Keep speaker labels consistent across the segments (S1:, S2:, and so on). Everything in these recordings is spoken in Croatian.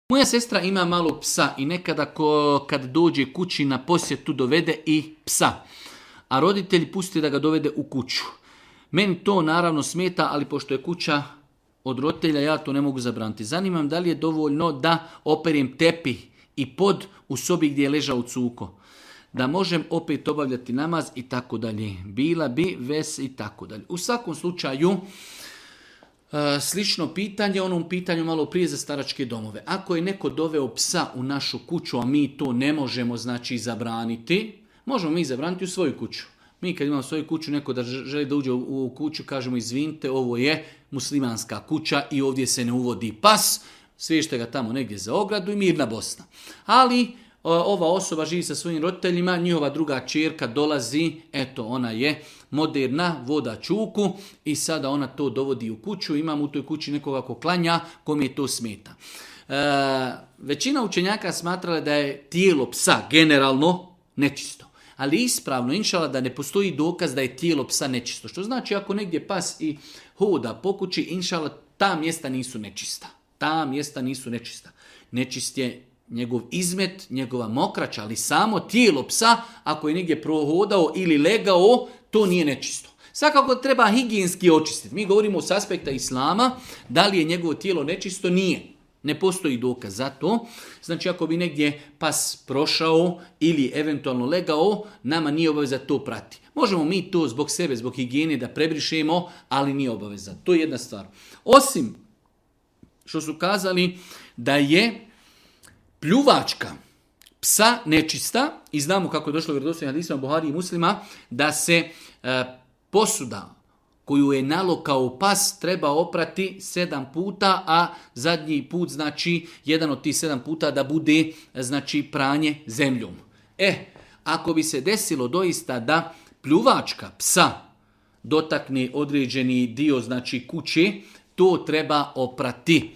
S1: Moja sestra ima malo psa i nekada kad dođe kući na posjetu dovede i psa. A roditelji pusti da ga dovede u kuću. Meni to naravno smeta, ali pošto je kuća od roditelja, ja to ne mogu zabraniti. Zanimam da li je dovoljno da operem tepih i pod u sobi gdje je ležao cuko. Da možem opet obavljati namaz i tako dalje. Bila bi ves i tako dalje. U svakom slučaju, slično pitanje, onom pitanju malo prije za staračke domove. Ako je neko doveo psa u našu kuću, a mi to ne možemo zabraniti, možemo mi zabraniti u svoju kuću. Mi kad imamo svoju kuću, neko da želi da uđe u kuću, kažemo izvinite, ovo je muslimanska kuća i ovdje se ne uvodi pas, sviješte ga tamo negdje za ogradu i mirna Bosna. Ali ova osoba živi sa svojim roditeljima, njihova druga ćerka dolazi, eto ona je moderna, voda čuku i sada ona to dovodi u kuću, imam u toj kući nekoga ko klanja, kome je to smeta. Većina učenjaka smatrala da je tijelo psa generalno nečisto. Ali ispravno, inšala, da ne postoji dokaz da je tijelo psa nečisto. Što znači ako negdje pas i hoda po kući, inšala, ta mjesta nisu nečista. Ta mjesta nisu nečista. Nečist je njegov izmet, njegova mokraća, ali samo tijelo psa, ako je negdje prohodao ili legao, to nije nečisto. Svakako treba higijenski očistiti. Mi govorimo s aspekta islama, da li je njegovo tijelo nečisto, nije. Ne postoji dokaz za to. Znači ako bi negdje pas prošao ili eventualno legao, nama nije obaveza to prati. Možemo mi to zbog sebe, zbog higijene da prebrišemo, ali nije obaveza. To je jedna stvar. Osim što su kazali da je pljuvačka psa nečista, i znamo kako je došlo u vjerodostojnim hadisima Buhari i Muslima, da se posuda koju je nalokao pas treba oprati 7 puta, a zadnji put, znači jedan od tih 7 puta da bude, znači, pranje zemljom. Ako bi se desilo doista da pljuvačka psa dotakne određeni dio, znači, kuće, to treba oprati.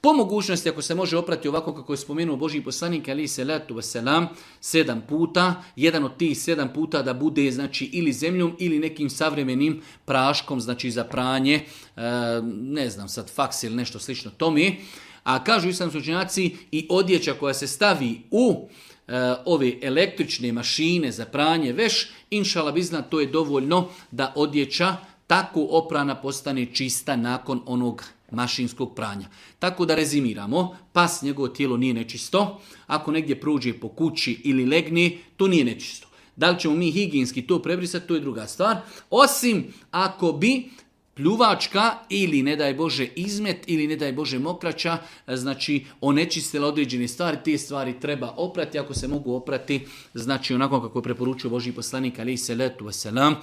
S1: Po mogućnosti, ako se može oprati ovako kako je spomenuo Božji poslanik, alejhi selatu vesselam, 7 puta, jedan od tih 7 puta da bude, znači, ili zemljom ili nekim savremenim praškom, znači za pranje, ne znam sad, faks ili nešto slično tome. A kažu islamski učenjaci, i odjeća koja se stavi u ove električne mašine za pranje veš, inšala bizna, to je dovoljno da odjeća tako oprana postane čista nakon onog mašinskog pranja. Tako da rezimiramo, pas, njegovo tijelo nije nečisto, ako negdje prođe po kući ili legne, to nije nečisto. Da li ćemo mi higijenski to prebrisati, to je druga stvar, osim ako bi pljuvačka ili, ne daj Bože, izmet ili, ne daj Bože, mokraća, znači onečistila određene stvari, te stvari treba oprati, ako se mogu oprati, znači onako kako je preporučio Božji poslanik, alejhi selatu vesselam,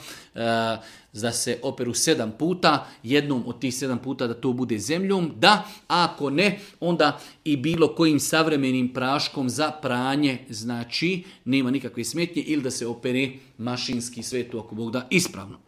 S1: da se operu 7 puta, jednom od tih 7 puta da to bude zemljom, da, ako ne, onda i bilo kojim savremenim praškom za pranje, znači nema nikakve smetnje, ili da se opere mašinski, sve to ako Bog da ispravno.